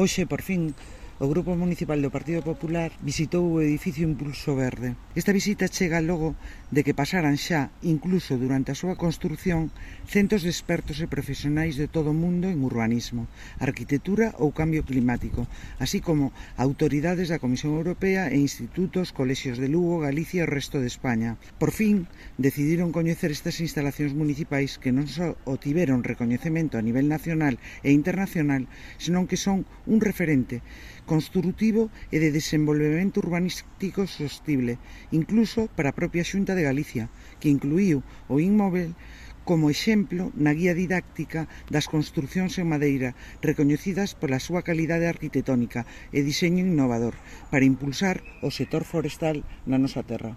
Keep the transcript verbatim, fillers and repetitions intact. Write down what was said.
Hoxe, por fin, o Grupo Municipal do Partido Popular visitou o edificio Impulso Verde. Esta visita chega logo de que pasaran xa, incluso durante a súa construción, centos de expertos e profesionais de todo o mundo en urbanismo, arquitectura ou cambio climático, así como autoridades da Comisión Europea e institutos, colexios de Lugo, Galicia e o resto de España. Por fin, decidiron coñecer estas instalacións municipais que non só obtiveron recoñecemento a nivel nacional e internacional, senón que son un referente construtivo e de desenvolvemento urbanístico sostible, incluso para a propia Xunta de Galicia, que incluíu o inmóvel como exemplo na guía didáctica das construcións en madeira recoñecidas pola súa calidade arquitectónica e diseño innovador para impulsar o sector forestal na nosa terra.